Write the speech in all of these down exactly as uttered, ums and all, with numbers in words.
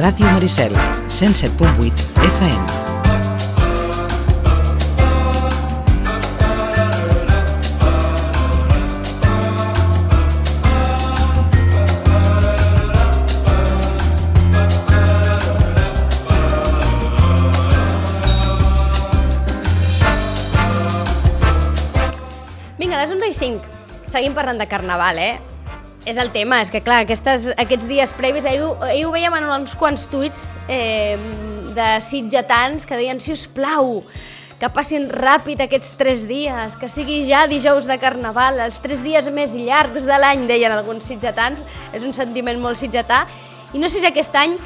Ràdio Maricel, cent set punt vuit F M. Vinga, a les onze i cinc. Seguim parlant de carnaval, eh? És el tema, és que clar, aquestes, aquests dies previs, ahir, ahir ho veiem en uns quants tuits eh, de sitgetans que deien, si us plau, que passin ràpid aquests tres dies, que sigui ja dijous de carnaval, els tres dies més llargs de l'any, deien alguns sitgetans, és un sentiment molt sitgetà, i no sé si aquest any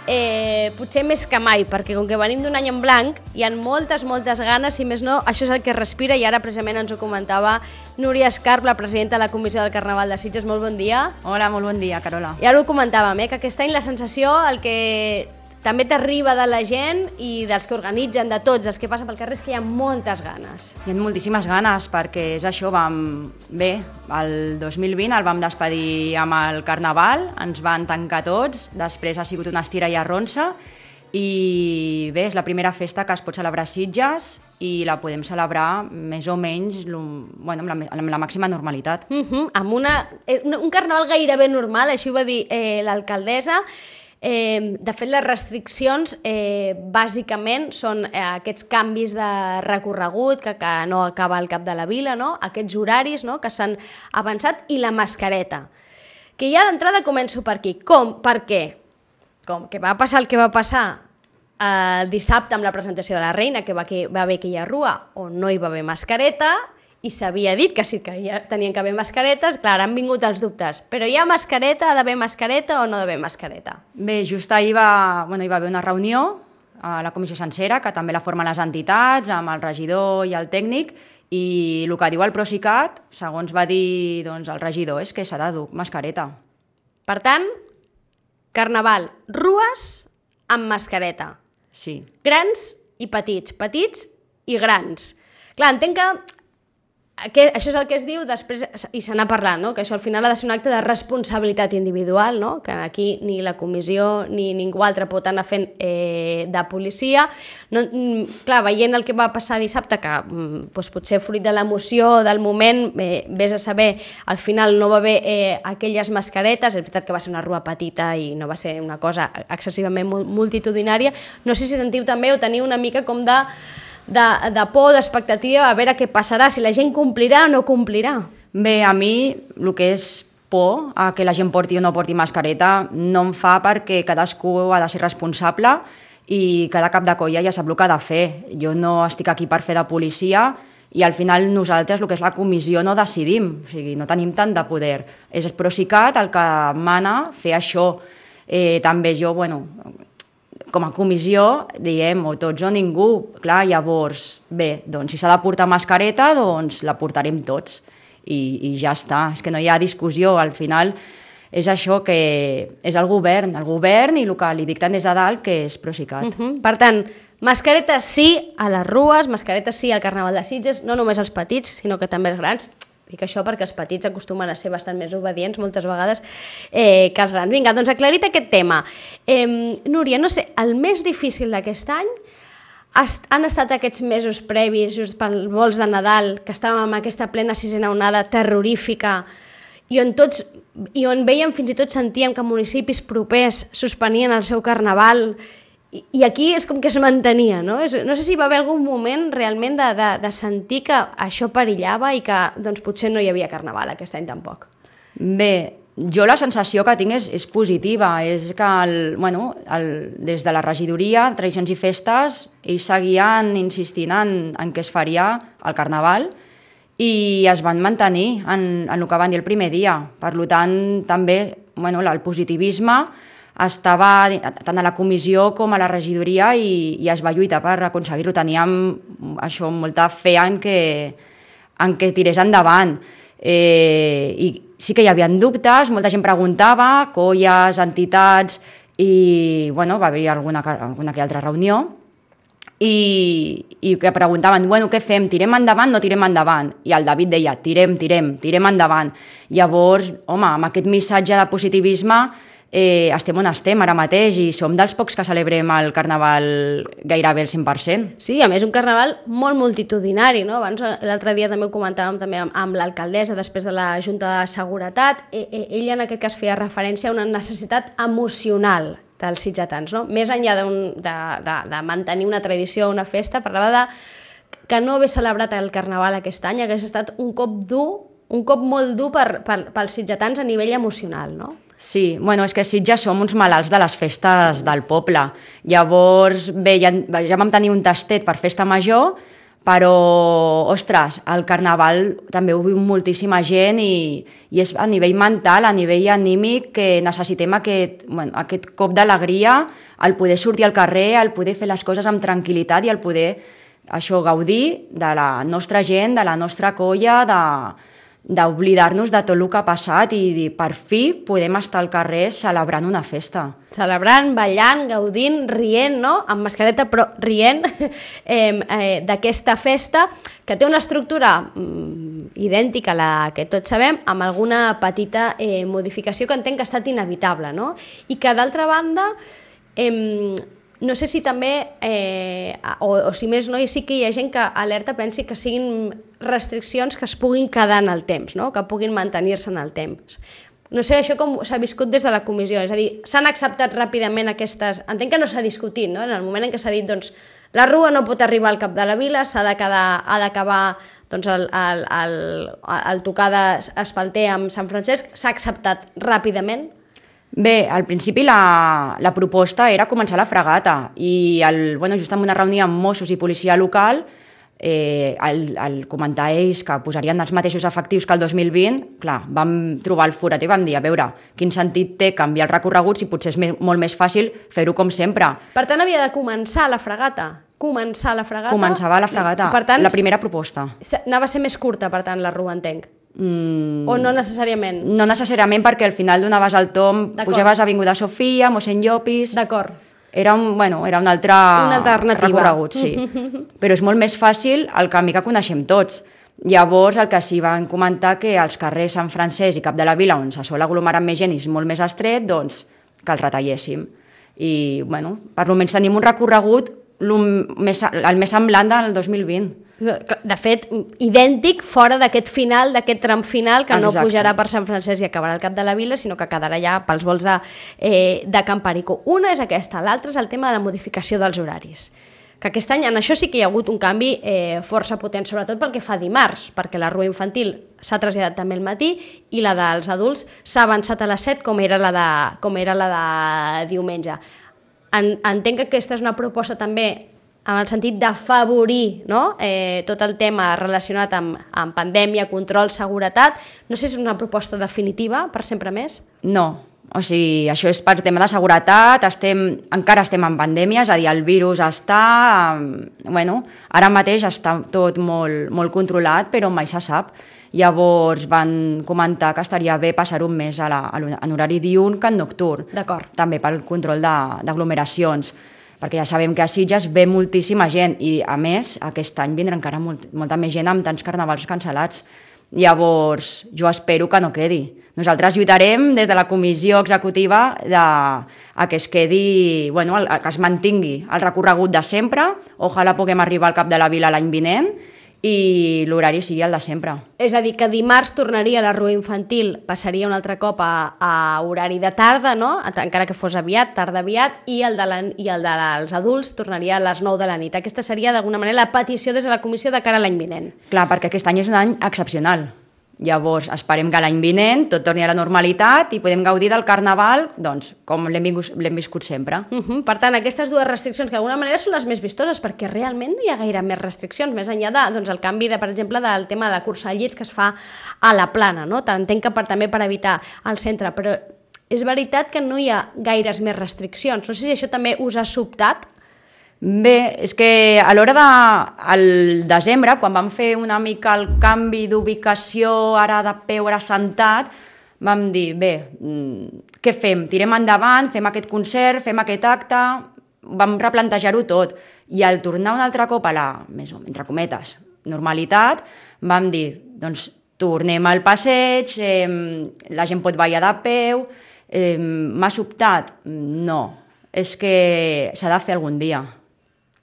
Eh, potser més que mai, perquè com que venim d'un any en blanc hi ha moltes, moltes ganes, i més no, això és el que respira, i ara precisament ens ho comentava Núria Escarp, la presidenta de la Comissió del Carnaval de Sitges. Molt bon dia. Hola, molt bon dia, Carola. I ara ho comentàvem, eh, que aquest any la sensació, el que també t'arriba de la gent i dels que organitzen, de tots els que passen pel carrer, és que hi ha moltes ganes. Hi ha moltíssimes ganes, perquè és això, vam... Bé, el dos mil vint el vam despedir amb el Carnaval, ens van tancar tots, després ha sigut una estira i arronsa, i bé, és la primera festa que es pot celebrar a Sitges i la podem celebrar més o menys bueno, amb, la, amb la màxima normalitat. Uh-huh, amb una, un carnaval gairebé normal, així ho va dir eh, l'alcaldessa. Eh, de fet, les restriccions eh, bàsicament són eh, aquests canvis de recorregut que, que no acaba al cap de la vila, no? Aquests horaris, no? Que s'han avançat, i la mascareta, que ja d'entrada començo per aquí. Com? Per què? Com que va passar el que va passar el dissabte amb la presentació de la reina, que va, que va haver aquella rua on no hi va haver mascareta, i s'havia dit que sí que ja tenien que haver mascaretes. Clar, han vingut els dubtes, però hi ha mascareta, ha d'haver mascareta o no ha d'haver mascareta? Bé, just ahir va, bueno, hi va haver una reunió a la comissió sencera, que també la formen les entitats, amb el regidor i el tècnic, i el que diu el Procicat, segons va dir doncs, el regidor, és que s'ha de dur mascareta. Per tant, carnaval, rues amb mascareta. Sí. Grans i petits, petits i grans. Clar, entenc que Aquest, això és el que es diu després, i se n'ha parlat, no? Que això al final ha de ser un acte de responsabilitat individual, no? Que aquí ni la comissió ni ningú altre pot anar fent eh, de policia. No, clar, veient el que va passar dissabte, que doncs, potser fruit de l'emoció del moment, eh, vés a saber, al final no va haver eh, aquelles mascaretes. És veritat que va ser una rua petita i no va ser una cosa excessivament multitudinària. No sé si sentiu també o teniu una mica com de... De, de por, d'expectativa, a veure què passarà, si la gent complirà o no complirà. Bé, a mi el que és por a que la gent porti o no porti mascareta no em fa, perquè cadascú ha de ser responsable i cada cap de colla ja sap el que ha de fer. Jo no estic aquí per fer de policia i al final nosaltres, el que és la comissió, no decidim, o sigui, no tenim tant de poder. És el Procicat el que mana fer això. Eh, també jo, bueno... com a comissió, diem, o tots o ningú. Clar, llavors, bé, doncs si s'ha de portar mascareta, doncs la portarem tots. I, i ja està, és que no hi ha discussió. Al final és això, que és el govern, el govern i el que li dicten des de dalt, que és Procicat. Uh-huh. Per tant, mascaretes sí a les rues, mascaretes sí al Carnaval de Sitges, no només els petits, sinó que també els grans. Dic això perquè els petits acostumen a ser bastant més obedients moltes vegades eh, que els grans. Vinga, doncs aclarit aquest tema. Eh, Núria, no sé, el més difícil d'aquest any han estat aquests mesos previs, just pels vols de Nadal, que estàvem amb aquesta plena sisena onada terrorífica, i on tots, i on veiem, fins i tot sentíem que municipis propers suspenien el seu carnaval, I, i aquí és com que es mantenia, no? No sé si va haver algun moment realment de, de, de sentir que això perillava i que doncs, potser no hi havia carnaval aquest any tampoc. Bé, jo la sensació que tinc és, és positiva, és que el, bueno, el, des de la regidoria, Tradicions i Festes, ells seguien insistint en, en què es faria el carnaval i es van mantenir en, en el que van dir el primer dia. Per tant, també bueno, el positivisme estava tant a la comissió com a la regidoria i, i es va lluitar per aconseguir-ho. Teníem això, molta fe en que, en que tirés endavant. Eh, I sí que hi havia dubtes, molta gent preguntava, colles, entitats, i bueno, va haver alguna, alguna que altra reunió, i, i que preguntaven, bueno, què fem, tirem endavant, no tirem endavant? I el David deia, tirem, tirem, tirem endavant. Llavors, home, amb aquest missatge de positivisme, eh, estem on estem ara mateix i som dels pocs que celebrem el Carnaval gairebé el cent per cent. Sí, a més un Carnaval molt multitudinari, no? Abans l'altre dia també ho comentàvem també amb, amb l'alcaldessa després de la Junta de Seguretat. E, e, ella en aquest cas feia referència a una necessitat emocional dels sitgetans, no? Més enllà de, de, de, de mantenir una tradició, una festa, parlava de que no haver celebrat el Carnaval aquest any hagués estat un cop dur, un cop molt dur per, per, pels sitgetans a nivell emocional, no? Sí, bueno, és que Sitges som uns malalts de les festes del poble. Llavors, bé, ja, ja vam tenir un tastet per festa major, però, ostres, el Carnaval també ho viu moltíssima gent i, i és a nivell mental, a nivell anímic, que necessitem aquest, bueno, aquest cop d'alegria, el poder sortir al carrer, el poder fer les coses amb tranquil·litat i el poder això, gaudir de la nostra gent, de la nostra colla, de d'oblidar-nos de tot el que ha passat i dir, per fi podem estar al carrer celebrant una festa. Celebrant, ballant, gaudint, rient, no? Amb mascareta, però rient eh, eh, d'aquesta festa, que té una estructura mm, idèntica a la que tots sabem, amb alguna petita eh, modificació que entenc que ha estat inevitable, no? I que, d'altra banda, eh, no sé si també, eh, o, o si més no, i sí que hi ha gent que alerta pensi que siguin restriccions que es puguin quedar en el temps, no? Que puguin mantenir-se en el temps. No sé això com s'ha viscut des de la comissió, és a dir, s'han acceptat ràpidament aquestes... Entenc que no s'ha discutit, no? En el moment en què s'ha dit, doncs, la rua no pot arribar al cap de la vila, s'ha d'acabar doncs, el, el, el, el tocar d'espalter amb Sant Francesc, s'ha acceptat ràpidament? Bé, al principi la, la proposta era començar la fregata i el, bueno, just en una reunió amb Mossos i policia local eh, el, el comentar ells que posarien els mateixos efectius que el dos mil vint, clar, vam trobar el forat i vam dir, a veure, quin sentit té canviar el recorregut si potser és més, molt més fàcil fer-ho com sempre. Per tant, havia de començar la fregata? Començar la fregata? Començava la fregata, per tant, la primera proposta. Anava a ser més curta, per tant, la rua, entenc? Mm, o no necessàriament? No necessàriament, perquè al final donaves el tom, pujaves a Avinguda Sofia, Mossèn Llopis... D'acord. Era un, bueno, era un altre una alternativa. Recorregut, sí. Però és molt més fàcil el camí que coneixem tots. Llavors, el que sí van comentar que els carrers Sant Francesc i Cap de la Vila, on se sol aglomerar més gent i és molt més estret, doncs que els retalléssim. I, bueno, per almenys tenim un recorregut el més, el més semblant del dos mil vint. De fet, idèntic fora d'aquest final, d'aquest tram final, que Exacte. No pujarà per Sant Francesc i acabarà al Cap de la Vila, sinó que quedarà ja pels vols de, eh, de Camparico. Una és aquesta, l'altra és el tema de la modificació dels horaris. Que aquest any en això sí que hi ha hagut un canvi eh, força potent, sobretot pel que fa a dimarts, perquè la rua infantil s'ha traslladat també al matí i la dels adults s'ha avançat a les set com era la de, com era la de diumenge. En, entenc que aquesta és una proposta també en el sentit d'afavorir, no? eh, tot el tema relacionat amb, amb pandèmia, control, seguretat. No sé si és una proposta definitiva per sempre més. No, o sigui, això és per tema de seguretat, estem, encara estem en pandèmia, és a dir, el virus està... Bueno, ara mateix està tot molt, molt controlat, però mai se sap. Llavors van comentar que estaria bé passar un mes a la, a en horari diürn que en nocturn. D'acord. També pel control d'aglomeracions, perquè ja sabem que a Sitges ve moltíssima gent i, a més, aquest any vindrà encara molt, molta més gent amb tants carnavals cancel·lats. Llavors, jo espero que no quedi. Nosaltres lluitarem des de la comissió executiva de, a que es quedi, bueno, el, que es mantingui el recorregut de sempre, ojalà puguem arribar al Cap de la Vila l'any vinent, i l'horari sigui el de sempre. És a dir, que dimarts tornaria a la rua infantil, passaria un altre cop a, a horari de tarda, no? Encara que fos aviat, tarda aviat, i el, de la, i el dels adults tornaria a les nou de la nit. Aquesta seria d'alguna manera la petició des de la comissió de cara a l'any vinent. Clar, perquè aquest any és un any excepcional. Llavors, esperem que l'any vinent tot torni a la normalitat i podem gaudir del Carnaval, doncs, com l'hem viscut sempre. Uh -huh. Per tant, aquestes dues restriccions, que d'alguna manera són les més vistoses, perquè realment no hi ha gaire més restriccions, més enllà de, doncs, el canvi, de, per exemple, del tema de la cursa de llits que es fa a la plana, no? Entenc que per, també per evitar el centre, però és veritat que no hi ha gaires més restriccions. No sé si això també us ha sobtat. Bé, és que a l'hora de... al desembre, quan vam fer una mica el canvi d'ubicació, ara de peu, ara sentat, vam dir, bé, què fem? Tirem endavant, fem aquest concert, fem aquest acte, vam replantejar-ho tot. I al tornar un altre cop a la, més o entre cometes, normalitat, vam dir, doncs tornem al passeig, eh, la gent pot ballar de peu, Eh, M'ha sobtat? No. És que s'ha de fer algun dia.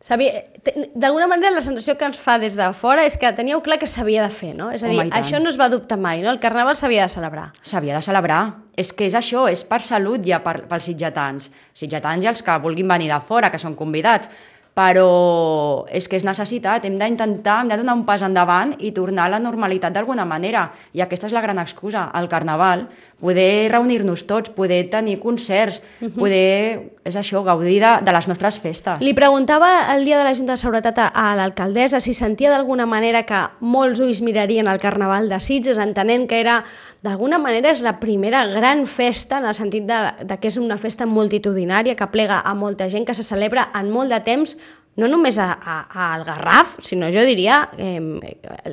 D'alguna manera la sensació que ens fa des de fora és que teníeu clar que s'havia de fer, no? És a dir, Home, això no es va dubtar mai, no? El Carnaval s'havia de celebrar. S'havia de celebrar. És que és això, és per salut ja per, pels sitgetans. Sitgetans i els que vulguin venir de fora, que són convidats. Però és que és necessitat, hem d'intentar, hem de donar un pas endavant i tornar a la normalitat d'alguna manera. I aquesta és la gran excusa, el Carnaval. Poder reunir-nos tots, poder tenir concerts, uh-huh. poder, és això, gaudir de, de les nostres festes. Li preguntava el dia de la Junta de Seguretat a, a l'alcaldessa si sentia d'alguna manera que molts ulls mirarien el Carnaval de Sitges, entenent que era, d'alguna manera, és la primera gran festa, en el sentit de, de que és una festa multitudinària, que plega a molta gent, que se celebra en molt de temps, no només a, a, al Garraf, sinó jo diria, eh,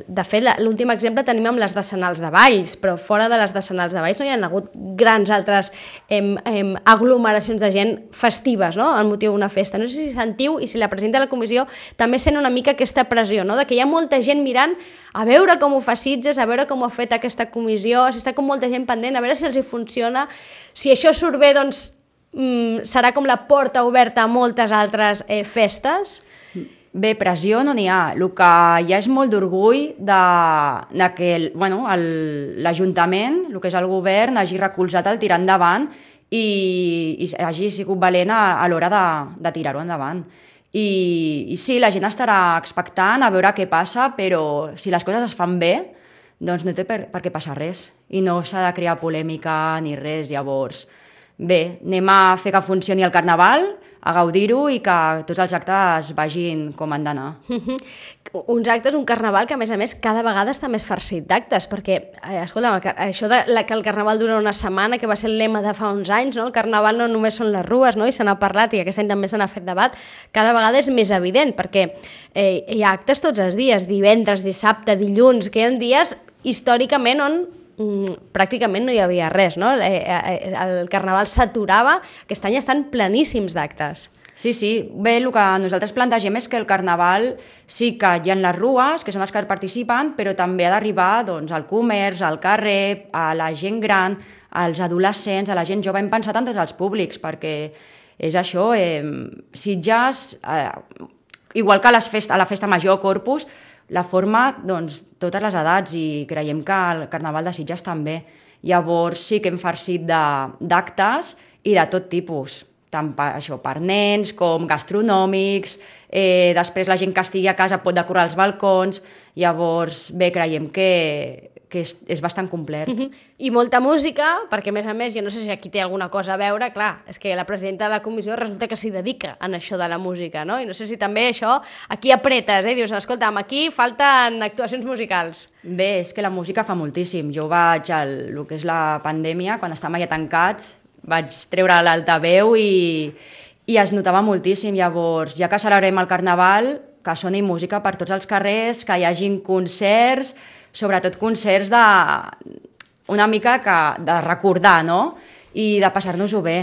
de fet l'últim exemple tenim amb les decenals de Valls, però fora de les decenals de Valls no hi ha hagut grans altres eh, eh, aglomeracions de gent festives, no?, al motiu d'una festa. No sé si sentiu, i si la presidenta de la comissió també sent una mica aquesta pressió, no?, de que hi ha molta gent mirant a veure com ho fa Sitges, a veure com ho ha fet aquesta comissió, si està com molta gent pendent, a veure si els hi funciona, si això surt bé, doncs Mm, serà com la porta oberta a moltes altres eh, festes? Bé, pressió no n'hi ha. El que hi ha és molt d'orgull de, de que el, bueno, l'Ajuntament, el que és el govern, hagi recolzat el tirar endavant i, i hagi sigut valent a, a l'hora de, de tirar-ho endavant. I, I sí, la gent estarà expectant a veure què passa, però si les coses es fan bé, doncs no té per, per què passar res. I no s'ha de crear polèmica ni res, llavors... Bé, anem a fer que funcioni el Carnaval, a gaudir-ho i que tots els actes vagin com han d'anar. Uns actes, un Carnaval que a més a més cada vegada està més farcit d'actes, perquè, eh, escolta, això de la, que el Carnaval dura una setmana, que va ser el lema de fa uns anys, no? El Carnaval no només són les rues, no? I se n'ha parlat i aquest any també se n'ha fet debat, cada vegada és més evident, perquè eh, hi ha actes tots els dies, divendres, dissabte, dilluns, que hi ha dies històricament on pràcticament no hi havia res, no? El Carnaval s'aturava, aquest any estan pleníssims d'actes. Sí, sí. Bé, el que nosaltres plantegem és que el Carnaval sí que hi ha les rues, que són els que participen, però també ha d'arribar doncs, al comerç, al carrer, a la gent gran, als adolescents, a la gent jove. Hem pensat en tots els públics, perquè és això, eh, Sitges, eh, igual que a, les fest a la festa major Corpus, la forma, doncs, totes les edats, i creiem que el Carnaval de Sitges també. Llavors sí que hem farcit d'actes i de tot tipus, tant per, això, per nens com gastronòmics, eh, després la gent que estigui a casa pot decorar els balcons, llavors bé, creiem que, que és, és bastant complet. Uh-huh. I molta música, perquè a més a més, jo no sé si aquí té alguna cosa a veure, clar, és que la presidenta de la comissió resulta que s'hi dedica en això de la música, no? I no sé si també això, aquí apretes, eh? Dius, escolta'm, aquí falten actuacions musicals. Bé, és que la música fa moltíssim. Jo vaig al el que és la pandèmia, quan estàvem allà tancats, vaig treure l'altaveu i, i es notava moltíssim. Llavors, ja que celebrem el Carnaval, que soni música per tots els carrers, que hi hagin concerts, sobretot concerts de una mica que, de recordar, no? I de passar-nos-ho bé.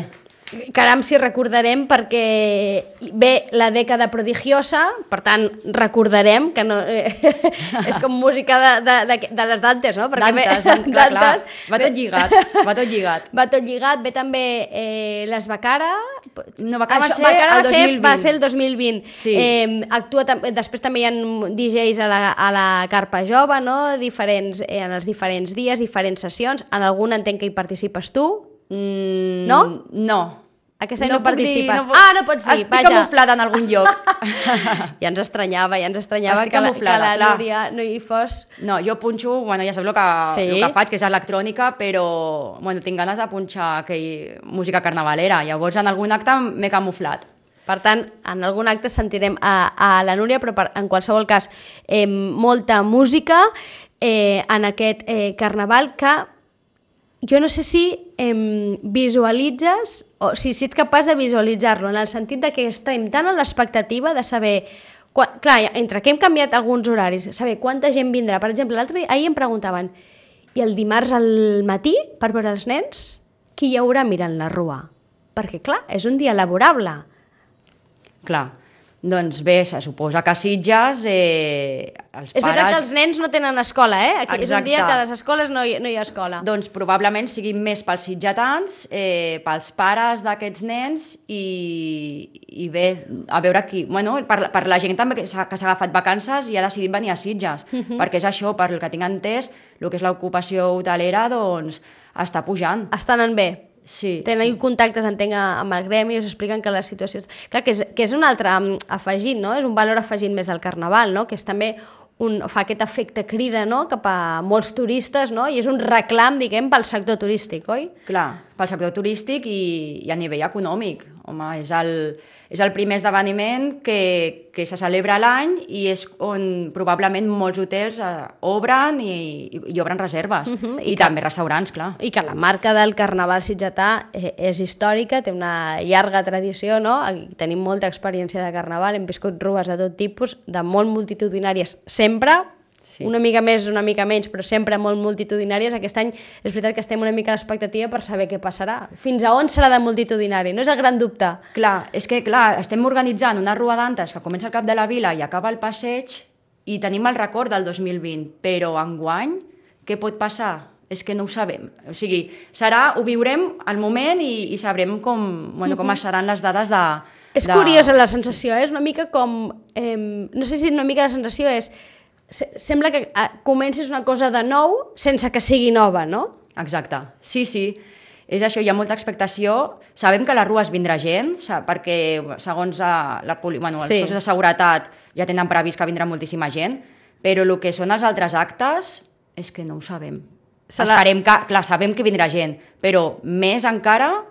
Caram, si recordarem, perquè ve la dècada prodigiosa, per tant, recordarem que no... és com música de, de, de, de les Dantes, no? Dantes, ve, clar, Dantes, clar. Va tot lligat, va tot lligat. Va tot lligat, ve també eh, les Becara... No, Becara va, Això, ser, Becara el va, ser, va ser el dos mil vint. Sí. Eh, actua, després també hi ha D Js a la, a la Carpa Jove, no? Diferents, eh, en els diferents dies, diferents sessions. En algun entenc que hi participes tu. Mm, no? No. Aquesta any no, no participes. Dir, no ah, no pots dir, estic vaja. Estic camuflada en algun lloc. Ja ens estranyava, ja ens estranyava estic que la, que la clar. Núria no hi fos. No, jo punxo, bueno, ja saps el que, sí. el que faig, que és electrònica, però bueno, tinc ganes de punxar aquell, música carnavalera. Llavors en algun acte m'he camuflat. Per tant, en algun acte sentirem a, a la Núria, però per, en qualsevol cas, eh, molta música eh, en aquest eh, carnaval que jo no sé si eh, visualitzes, o si, si ets capaç de visualitzar-lo, en el sentit de que estem tan a l'expectativa de saber... Quan, clar, entre que hem canviat alguns horaris, saber quanta gent vindrà. Per exemple, l'altre dia, ahir em preguntaven, i el dimarts al matí, per veure els nens, qui hi haurà mirant la rua? Perquè, clar, és un dia laborable. Clar. Doncs bé, se suposa que a Sitges eh, els És pares... veritat que els nens no tenen escola, eh? Aquí és un Exacte. dia que a les escoles no hi, no hi ha escola. Doncs probablement siguin més pels sitgetans, eh, pels pares d'aquests nens i, i bé, a veure qui... Bueno, per, per la gent també que s'ha que s'ha agafat vacances i ha decidit venir a Sitges, uh -huh. perquè és això, per el que tinc entès, el que és l'ocupació hotelera, doncs, està pujant. Està anant bé. Sí, Tenen sí. contactes, entenc, amb el gremi i us expliquen que la situació... Clar, que és, que és un altre afegit, no? És un valor afegit més al carnaval, no? Que és també un, fa aquest efecte crida, no? Cap a molts turistes, no? I és un reclam, diguem, pel sector turístic, oi? Clar, pel sector turístic i, i a nivell econòmic. Home, és el, és el primer esdeveniment que, que se celebra a l'any i és on probablement molts hotels eh, obren i, i, i obren reserves. Uh -huh, I, I que, també restaurants, clar. I que la marca del carnaval sitgetà eh, és històrica, té una llarga tradició, no? Aquí tenim molta experiència de carnaval, hem viscut rues de tot tipus, de molt multitudinàries sempre, sí. Una mica més, una mica menys, però sempre molt multitudinàries. Aquest any és veritat que estem una mica a l'expectativa per saber què passarà. Fins a on serà de multitudinari? No és el gran dubte. Clar, és que clar, estem organitzant una rua d'antes que comença al cap de la vila i acaba al passeig i tenim el record del dos mil vint, però enguany què pot passar? És que no ho sabem. O sigui, serà, ho viurem al moment i, i sabrem com, bueno, com seran les dades de... És de... curiosa la sensació, eh? És una mica com... Eh, no sé si una mica la sensació és... Sembla que comencis una cosa de nou sense que sigui nova, no? Exacte, sí, sí. És això, hi ha molta expectació. Sabem que a les rues vindrà gent, perquè segons la, la poli... bueno, els sí. cossos de seguretat ja tenen previst que vindrà moltíssima gent, però el que són els altres actes és que no ho sabem. Serà... Esperem que... Clar, sabem que vindrà gent, però més encara...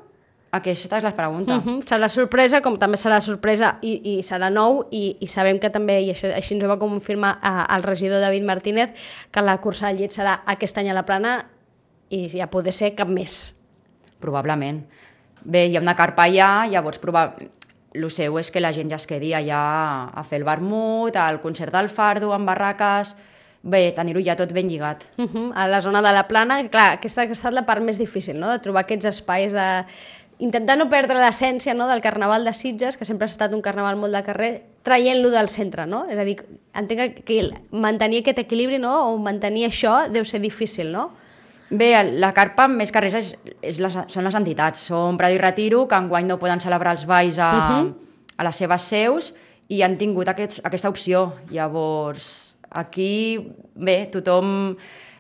Aquesta és la pregunta. Uh -huh. Serà sorpresa, com també serà sorpresa i, i serà nou, i, i sabem que també, i això, així ens ho va confirmar eh, el regidor David Martínez, que la cursa del llet serà aquest any a la Plana i ja poder ser cap més. Probablement. Bé, hi ha una carpa allà, llavors probablement... El seu és que la gent ja es quedi allà a fer el vermut, al concert del Fardo, amb barraques... Bé, tenir-ho ja tot ben lligat. Uh -huh. A la zona de la Plana, clar, aquesta ha estat la part més difícil, no?, de trobar aquests espais de... intentar no perdre l'essència, no?, del carnaval de Sitges, que sempre ha estat un carnaval molt de carrer, traient-lo del centre, no? És a dir, entenc que mantenir aquest equilibri, no?, o mantenir això deu ser difícil, no? Bé, la carpa més que res és, és les, són les entitats. Són Prado i Retiro, que enguany no poden celebrar els balls a, uh -huh. a les seves seus i han tingut aquest, aquesta opció. Llavors, aquí, bé, tothom...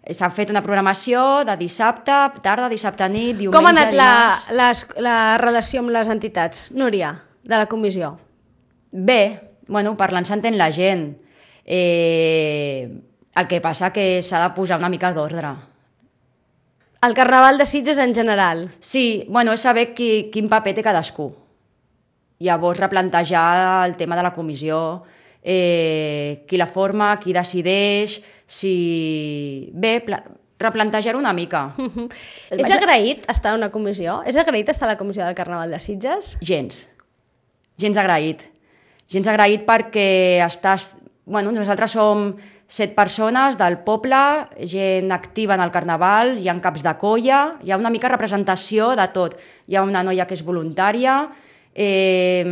S'ha fet una programació de dissabte, tarda, dissabte nit, diumenge... Com ha anat la, la, la relació amb les entitats, Núria, de la comissió? Bé, bueno, parlant s'entén la gent. Eh, el que passa que s'ha de posar una mica d'ordre. El carnaval de Sitges en general? Sí, bueno, és saber qui, quin paper té cadascú. Llavors replantejar el tema de la comissió, eh, qui la forma, qui decideix... Si... Bé, replantejar una mica. Uh -huh. És agraït estar en una comissió? És agraït estar a la comissió del Carnaval de Sitges? Gens. Gens agraït. Gens agraït perquè estàs... Bueno, nosaltres som set persones del poble, gent activa en el Carnaval, hi ha caps de colla, hi ha una mica representació de tot. Hi ha una noia que és voluntària, Eh,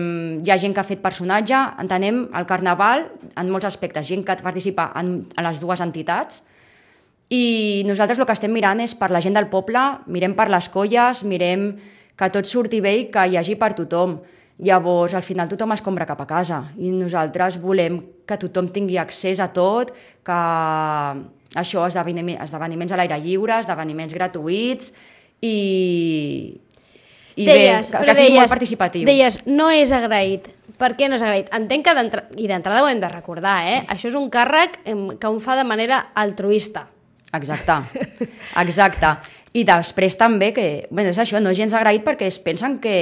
hi ha gent que ha fet personatge, entenem el Carnaval en molts aspectes, gent que participa en, en les dues entitats i nosaltres el que estem mirant és per la gent del poble, mirem per les colles, mirem que tot surti bé i que hi hagi per tothom. Llavors, al final tothom es compra cap a casa i nosaltres volem que tothom tingui accés a tot, que això, esdeveniments, esdeveniments a l'aire lliure, esdeveniments gratuïts i... I deies, bé, que, que sigui deies, molt participatiu. Deies, no és agraït. Per què no és agraït? Entenc que d'entrada, i d'entrada ho hem de recordar, eh? Això és un càrrec que un fa de manera altruista. Exacte, exacte. I després també que, bé, és això, no és gens agraït perquè es pensen que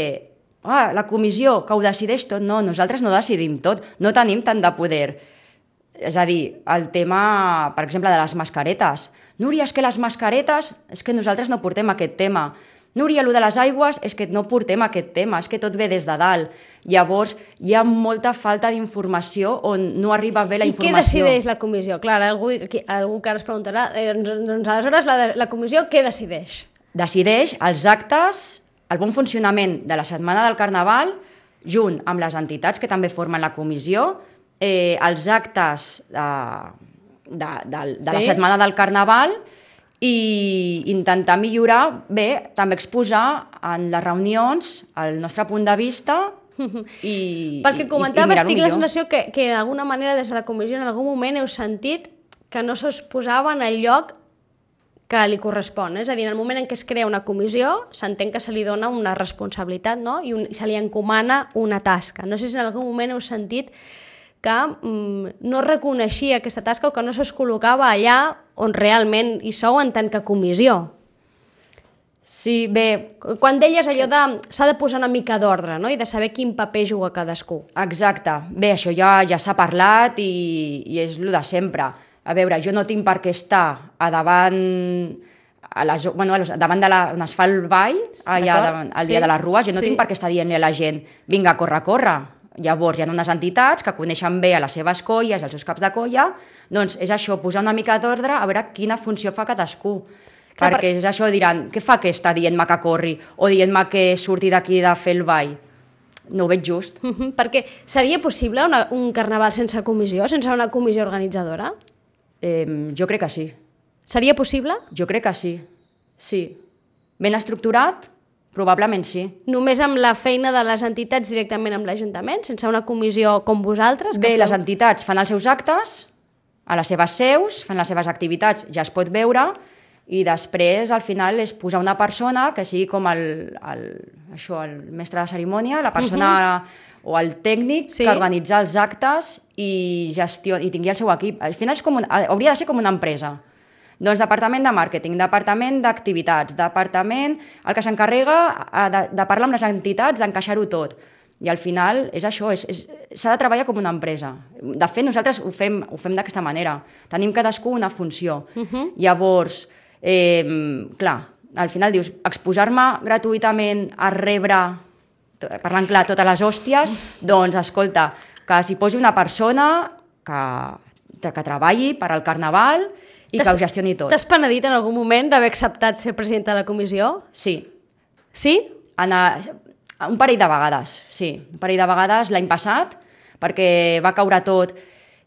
ah, la comissió, que ho decideix tot. No, nosaltres no decidim tot, no tenim tant de poder. És a dir, el tema, per exemple, de les mascaretes. Núria, és que les mascaretes, és que nosaltres no portem aquest tema. Núria, el de les aigües, és que no portem aquest tema, és que tot ve des de dalt. Llavors, hi ha molta falta d'informació on no arriba bé la informació. I què decideix la comissió? Clar, algú, aquí, algú que ara es preguntarà, eh, doncs aleshores la, la comissió què decideix? Decideix els actes, el bon funcionament de la setmana del Carnaval junt amb les entitats que també formen la comissió, eh, els actes de, de, de, de sí? la setmana del Carnaval i intentar millorar, bé, també exposar en les reunions el nostre punt de vista i Perquè comentaves, i, i tinc la sensació que, que d'alguna manera des de la comissió en algun moment heu sentit que no se'ls posava en el lloc que li correspon. És a dir, en el moment en què es crea una comissió, s'entén que se li dona una responsabilitat, no? I, un, i se li encomana una tasca. No sé si en algun moment heu sentit que mm, no reconeixia aquesta tasca o que no se'ls col·locava allà on realment hi sou en tant que comissió. Sí, bé... Quan deies allò de s'ha de posar una mica d'ordre, no? I de saber quin paper juga cadascú. Exacte. Bé, això ja ja s'ha parlat i, i és el de sempre. A veure, jo no tinc per què estar a davant, a la, bueno, davant de la, on es fa el ball, allà davant, el dia sí. de les rues, jo no sí. tinc per què estar dient-li a la gent vinga, corre, corre. Llavors hi ha unes entitats que coneixen bé a les seves colles, als seus caps de colla, doncs és això, posar una mica d'ordre a veure quina funció fa cadascú. Clar, perquè per... és això, diran, què fa aquesta dient-me que corri o dient-me que surti d'aquí de fer el ball? No ho veig just. Uh -huh, perquè seria possible una, un carnaval sense comissió, sense una comissió organitzadora? Eh, jo crec que sí. Seria possible? Jo crec que sí, sí. Ben estructurat, probablement sí. Només amb la feina de les entitats directament amb l'Ajuntament, sense una comissió com vosaltres? Bé, feu... les entitats fan els seus actes, a les seves seus, fan les seves activitats, ja es pot veure, i després, al final, és posar una persona que sigui com el, el, això, el mestre de cerimònia, la persona uh-huh. o el tècnic sí. que organitza els actes i, gestió, i tingui el seu equip. Al final és com un, hauria de ser com una empresa. Doncs departament de màrqueting, departament d'activitats, departament el que s'encarrega de, de parlar amb les entitats, d'encaixar-ho tot. I al final és això, és, és, s'ha de treballar com una empresa. De fet, nosaltres ho fem, ho fem d'aquesta manera. Tenim cadascú una funció. Uh-huh. Llavors, Eh, clar, al final dius, exposar-me gratuïtament a rebre, parlant clar, totes les hòsties, doncs escolta, que s'hi posi una persona que, que treballi per al Carnaval i que ho gestioni tot. T'has penedit en algun moment d'haver acceptat ser presidenta de la comissió? Sí. Sí? En a, un parell de vegades, sí. Un parell de vegades l'any passat, perquè va caure tot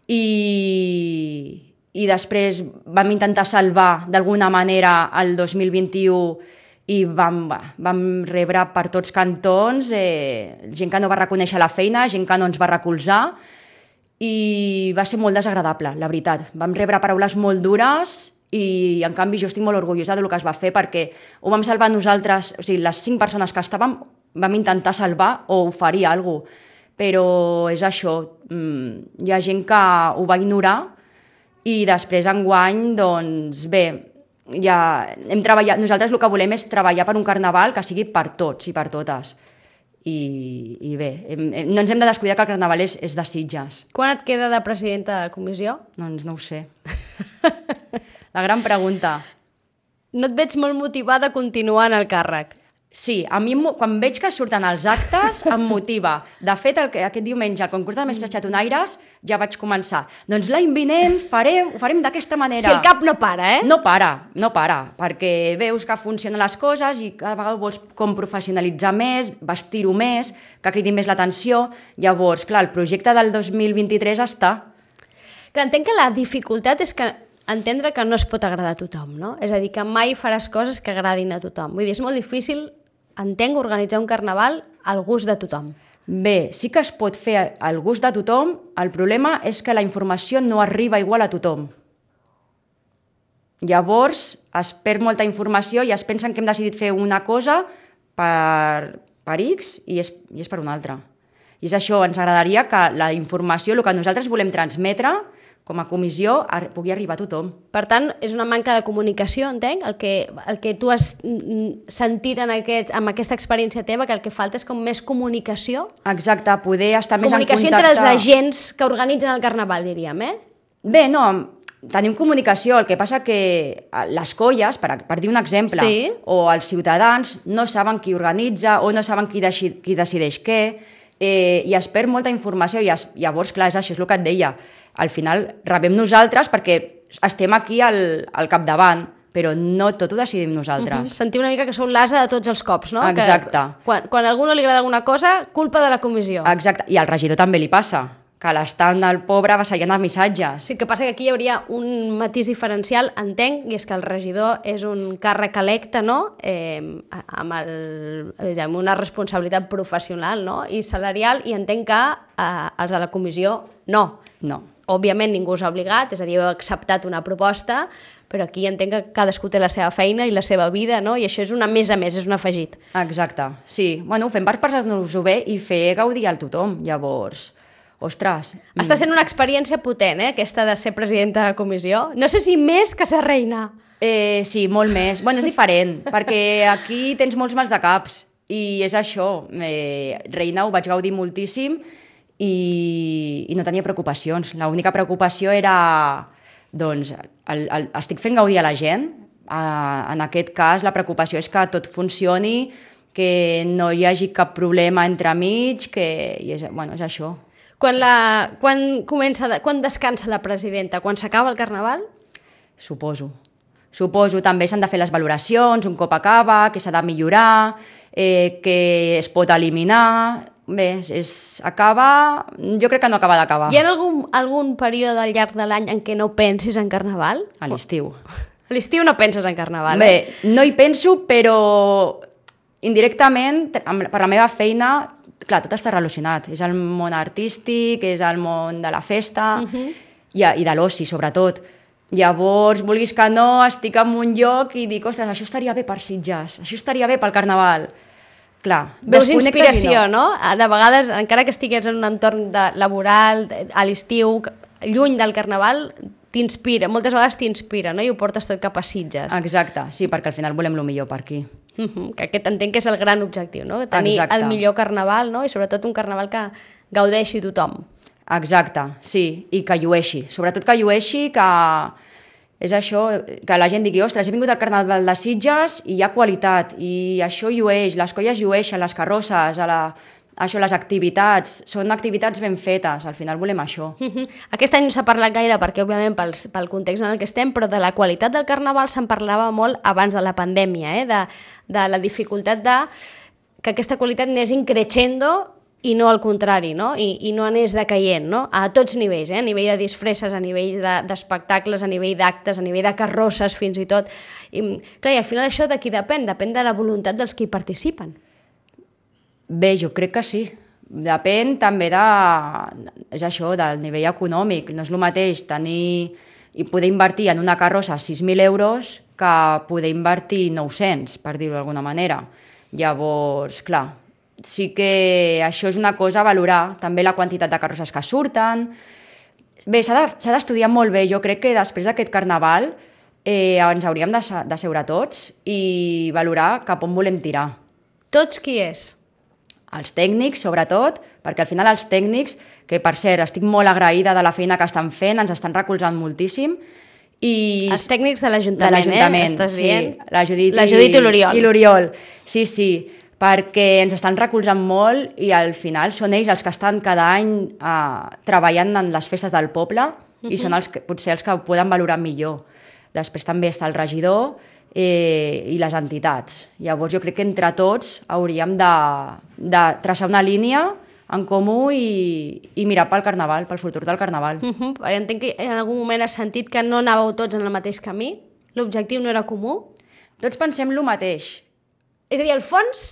i... i després vam intentar salvar d'alguna manera el dos mil vint-i-u i vam, vam rebre per tots cantons eh, gent que no va reconèixer la feina, gent que no ens va recolzar i va ser molt desagradable, la veritat. Vam rebre paraules molt dures i en canvi jo estic molt orgullosa del que es va fer perquè ho vam salvar nosaltres, o sigui, les cinc persones que estàvem vam intentar salvar o oferir alguna cosa, però és això, hi ha gent que ho va ignorar i després enguany, doncs bé, ja hem treballat, nosaltres el que volem és treballar per un carnaval que sigui per tots i per totes. I, i bé, hem, hem, no ens hem de descuidar que el carnaval és, és de Sitges. Quan et queda de presidenta de comissió? Doncs no ho sé. La gran pregunta. No et veig molt motivada a continuar en el càrrec. Sí, a mi quan veig que surten els actes em motiva. De fet, el, aquest diumenge al concurs de mestres xatonaires ja vaig començar. Doncs l'any vinent farem, ho farem d'aquesta manera. Si el cap no para, eh? No para, no para, perquè veus que funcionen les coses i cada vegada vols com professionalitzar més, vestir-ho més, que cridi més l'atenció. Llavors, clar, el projecte del dos mil vint-i-tres està. Clar, entenc que la dificultat és que entendre que no es pot agradar a tothom, no? És a dir, que mai faràs coses que agradin a tothom. Vull dir, és molt difícil, entenc, organitzar un carnaval al gust de tothom. Bé, sí que es pot fer al gust de tothom, el problema és que la informació no arriba igual a tothom. Llavors es perd molta informació i es pensen que hem decidit fer una cosa per, per X i és, i és per una altra. I és això, ens agradaria que la informació, el que nosaltres volem transmetre, com a comissió, pugui arribar a tothom. Per tant, és una manca de comunicació, entenc, el que, el que tu has sentit en aquest, amb aquesta experiència teva, que el que falta és com més comunicació. Exacte, poder estar més en contacte. Comunicació entre els agents que organitzen el carnaval, diríem, eh? Bé, no, tenim comunicació, el que passa que les colles, per, per dir un exemple, sí. o els ciutadans no saben qui organitza o no saben qui, deci, qui decideix què, eh, i es perd molta informació i es, llavors, clar, és això és el que et deia. Al final rebem nosaltres perquè estem aquí al, al capdavant, però no tot ho decidim nosaltres. Uh-huh. Sentir una mica que sou l'asa de tots els cops, no? Exacte. Que, quan, quan a algú no li agrada alguna cosa, culpa de la comissió. Exacte, i al regidor també li passa, que l'estan del pobre vassallant els missatges. Sí, el que passa que aquí hi hauria un matís diferencial, entenc, i és que el regidor és un càrrec electe, no? Eh, amb, el, amb una responsabilitat professional, no? I salarial, i entenc que eh, els de la comissió no. No. Òbviament ningú us ha obligat, és a dir, heu acceptat una proposta, però aquí entenc que cadascú té la seva feina i la seva vida, no? I això és una més a més, és un afegit. Exacte, sí. Bueno, ho fem per passar-nos-ho bé i fer gaudir al tothom, llavors... Ostres... Està sent una experiència potent, eh, aquesta de ser presidenta de la comissió. No sé si més que ser reina. Eh, sí, molt més. Bueno, és diferent, perquè aquí tens molts mals de caps i és això. Eh, reina ho vaig gaudir moltíssim i, i no tenia preocupacions. L'única preocupació era, doncs, el, el, estic fent gaudir a la gent. Uh, en aquest cas, la preocupació és que tot funcioni, que no hi hagi cap problema entremig, que i és, bueno, és això. Quan, la, quan, comença, quan descansa la presidenta? Quan s'acaba el Carnaval? Suposo. Suposo, també s'han de fer les valoracions un cop acaba, que s'ha de millorar, eh, que es pot eliminar... Bé, és, acaba... Jo crec que no acaba d'acabar. Hi ha algun, algun període al llarg de l'any en què no pensis en Carnaval? A l'estiu. A l'estiu no penses en Carnaval, Bé, eh? no hi penso, però indirectament, per la meva feina, clar, tot està relacionat. És el món artístic, és el món de la festa uh-huh. i, i de l'oci, sobretot. Llavors, vulguis que no, estic en un lloc i dic, ostres, això estaria bé per Sitges, això estaria bé pel Carnaval. Clar, veus inspiració, no? no? De vegades, encara que estigués en un entorn de, laboral, a l'estiu, lluny del Carnaval, t'inspira, moltes vegades t'inspira, no? I ho portes tot cap a Sitges. Exacte, sí, perquè al final volem el millor per aquí. Uh-huh, que aquest entenc que és el gran objectiu, no? Tenir Exacte. el millor Carnaval, no? I sobretot un Carnaval que gaudeixi tothom. Exacte, sí, i que llueixi. Sobretot que llueixi, que és això, que la gent digui, ostres, he vingut al Carnaval de Sitges i hi ha qualitat, i això llueix, les colles llueixen, les carrosses, a la... això, les activitats, són activitats ben fetes, al final volem això. Uh-huh. Aquest any no s'ha parlat gaire perquè, òbviament, pel, pel context en el que estem, però de la qualitat del Carnaval se'n parlava molt abans de la pandèmia, eh? de, de la dificultat de que aquesta qualitat anés increixendo i no al contrari, no? I, i no anés decaient, no? A tots nivells, eh? A nivell de disfresses, a nivell d'espectacles, de, a nivell d'actes, a nivell de carrosses, fins i tot. I, clar, i al final això de qui depèn? Depèn de la voluntat dels que hi participen. Bé, jo crec que sí. Depèn també de, és això, del nivell econòmic. No és el mateix tenir i poder invertir en una carrossa sis mil euros que poder invertir nou-cents, per dir-ho d'alguna manera. Llavors, clar, sí que això és una cosa a valorar, també la quantitat de carrosses que surten. Bé, s'ha d'estudiar molt bé. Jo crec que després d'aquest Carnaval eh, ens hauríem de, de seure tots i valorar cap on volem tirar. Tots qui és? Els tècnics, sobretot, perquè al final els tècnics, que per cert estic molt agraïda de la feina que estan fent, ens estan recolzant moltíssim. I... Els tècnics de l'Ajuntament, eh? Estàs sí, dient? La Judit, la Judit i, i l'Oriol. I l'Oriol, sí, sí, perquè ens estan recolzant molt i al final són ells els que estan cada any eh, treballant en les festes del poble uh-huh. i són els que, potser els que ho poden valorar millor. Després també està el regidor, Eh, i les entitats. Llavors jo crec que entre tots hauríem de, de traçar una línia en comú i, i mirar pel Carnaval, pel futur del Carnaval. Uh-huh. Entenc que en algun moment has sentit que no anàveu tots en el mateix camí? L'objectiu no era comú? Tots pensem el mateix. És a dir, el fons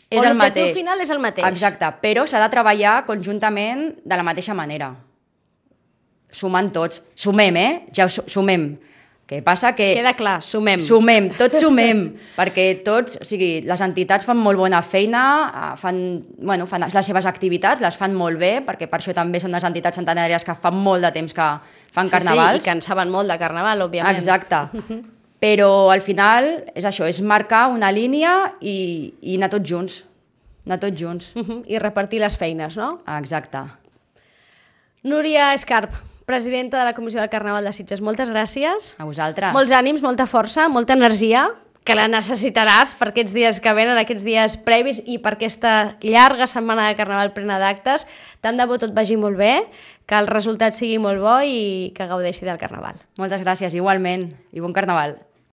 és o el l'objectiu mateix. final és el mateix? Exacte, però s'ha de treballar conjuntament de la mateixa manera. Sumant tots. Sumem, eh? Ja sumem. Què passa? Que queda clar, sumem. Sumem, tots sumem, perquè tots, o sigui, les entitats fan molt bona feina, fan, bueno, fan les seves activitats, les fan molt bé, perquè per això també són les entitats centenàries que fan molt de temps que fan sí, carnavals. Sí, i que en saben molt de carnaval, òbviament. Exacte. Però al final és això, és marcar una línia i, i anar tots junts. Anar tots junts. Uh-huh. I repartir les feines, no? Exacte. Núria Escarp, presidenta de la Comissió del Carnaval de Sitges, moltes gràcies. A vosaltres. Molts ànims, molta força, molta energia, que la necessitaràs per aquests dies que venen, aquests dies previs i per aquesta llarga setmana de Carnaval plena d'actes. Tant de bo tot vagi molt bé, que el resultat sigui molt bo i que gaudeixi del Carnaval. Moltes gràcies, igualment, i bon Carnaval.